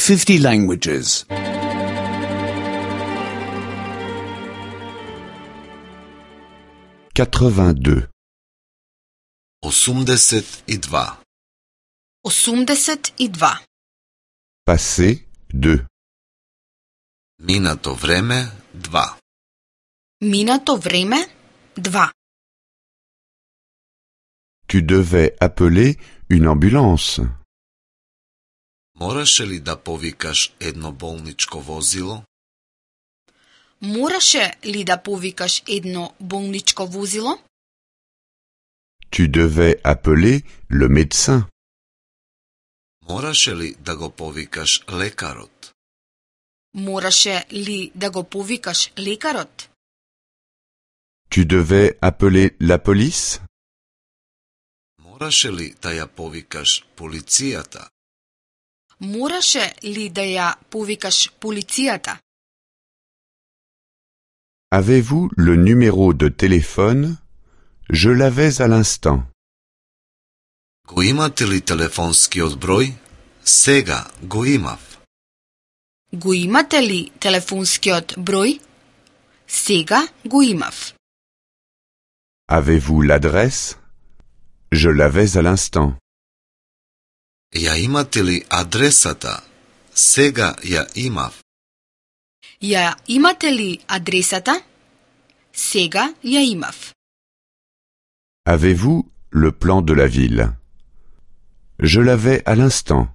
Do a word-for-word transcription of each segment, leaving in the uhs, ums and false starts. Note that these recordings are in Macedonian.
fifty languages. quatre-vingt-deux. осумдесет и два. осумдесет и два. Passé, deux. Минато време, два. Минато време, два. Tu devais appeler une ambulance. Мораше ли да повикаш едно болничко возило? Мораше ли да повикаш едно болничко возило? Tu devais appeler le médecin. Мораше ли да го повикаш лекарот? Мораше ли да го повикаш лекарот? Tu devais appeler la police. Мораше ли да ја повикаш полицијата? Мораше ли да ја повикаш полицијата? Avez-vous le numéro de téléphone? Je l'avais à l'instant. Го имате ли телефонскиот број? Сега го имав. Го имате ли телефонскиот број? Сега го имав. Avez-vous l'adresse? Je l'avais à l'instant. Ја имате ли адресата? Сега ја имав. Ја имате ли адресата? Сега ја имав. Avez-vous le plan de la ville? Je l'avais à l'instant.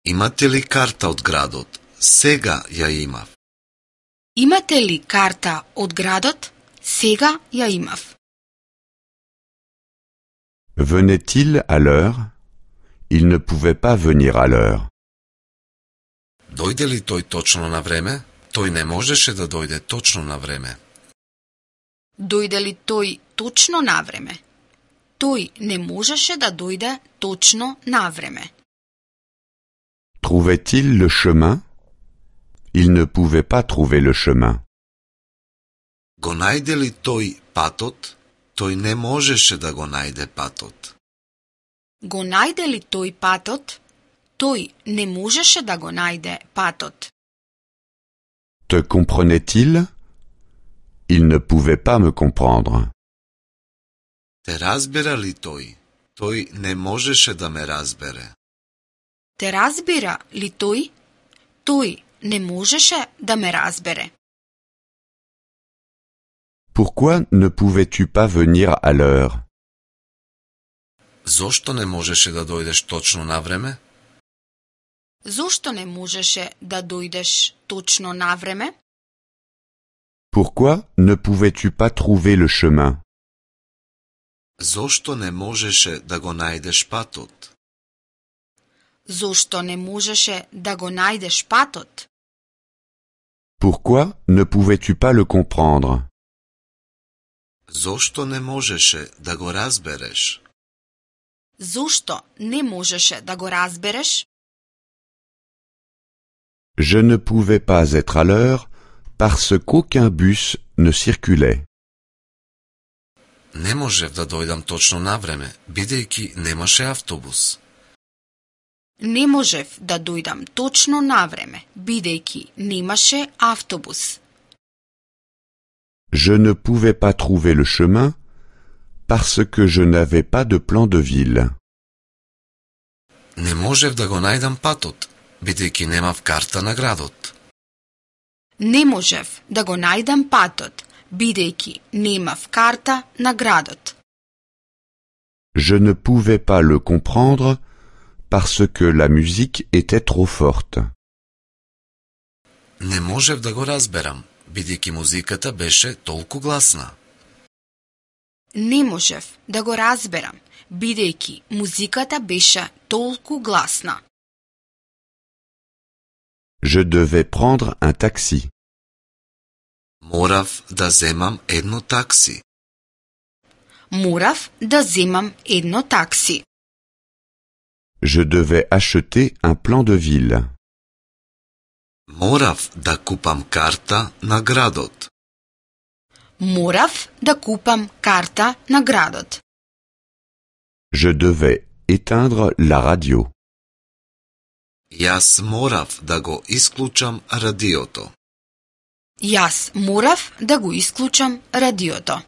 Имате ли карта од градот? Сега ја имав. Имате ли карта од градот? Сега ја имав. Venait-il à l'heure? Il ne pouvait pas venir à l'heure. Дојде ли тој точно на време? Тој не можеше да дојде точно на време. Дојде ли тој точно на време? Тој не можеше да дојде точно на време. Trouvait-il le chemin? Il ne pouvait pas trouver le chemin. Го најде ли тој патот? Тој не можеше да го најде патот. Го најде ли тој патот? Тој не можеше да го најде патот. Te comprenait-il? Il ne pouvait pas me comprendre. Те разбира ли тој? Тој не можеше да ме разбере. Те разбира ли тој? Тој не можеше да ме разбере. Pourquoi ne pouvais-tu pas venir à l'heure? Зошто не можеше да дојдеш точно на време? Зошто не можеше да дојдеш точно на време? Pourquoi ne pouvais-tu pas trouver le chemin? Зошто не можеше да го најдеш патот? Зошто не можеше да го најдеш патот? Pourquoi ne pouvais-tu pas le comprendre? Зошто не можеше да го разбереш? Зошто не можеше да го разбереш? Je ne pouvais pas être à l'heure parce qu'aucun bus ne circulait. Не можев да дојдам точно на време, бидејќи немаше автобус. Не можев да дојдам точно на време, бидејќи немаше автобус. Je ne pouvais pas trouver le chemin parce que je n'avais pas de plan de ville. Не можев да го најдам патот, бидејќи немав карта на градот. Не можев да го најдам патот, бидејќи немав карта на градот. Je ne pouvais pas le comprendre parce que la musique était trop forte. Не можев да го разберам, бидејќи музиката беше толку гласна. Не можев да го разберам, бидејќи музиката беше толку гласна. Je devais prendre un taxi. Морав да земам едно такси. Морав да земам едно такси. Je devais acheter un plan de ville. Морав да купам карта на градот. Морав да купам карта на градот. Je devais éteindre la radio. Јас морав да го исклучам радиото. Јас морав да го исклучам радиото.